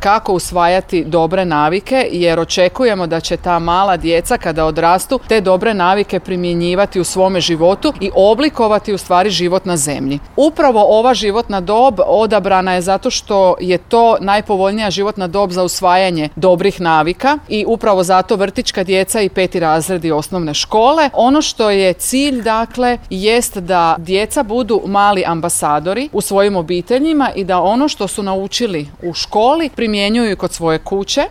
kako usvajati dobre navike, jer očekujemo da će ta mala djeca kada odrastu te dobre navike primjenjivati u svome životu i oblikovati u stvari život na zemlji. Upravo ova životna dob odabrana je zato što je to najpovoljnija životna dob za usvajanje dobrih navika i upravo zato vrtićka djeca i 5. razredi osnovne škole. Ono što je cilj, dakle, jest da djeca budu mali ambasadori u svojim obiteljima i da ono što su naučili u školi primjenjuju kod svoje kuće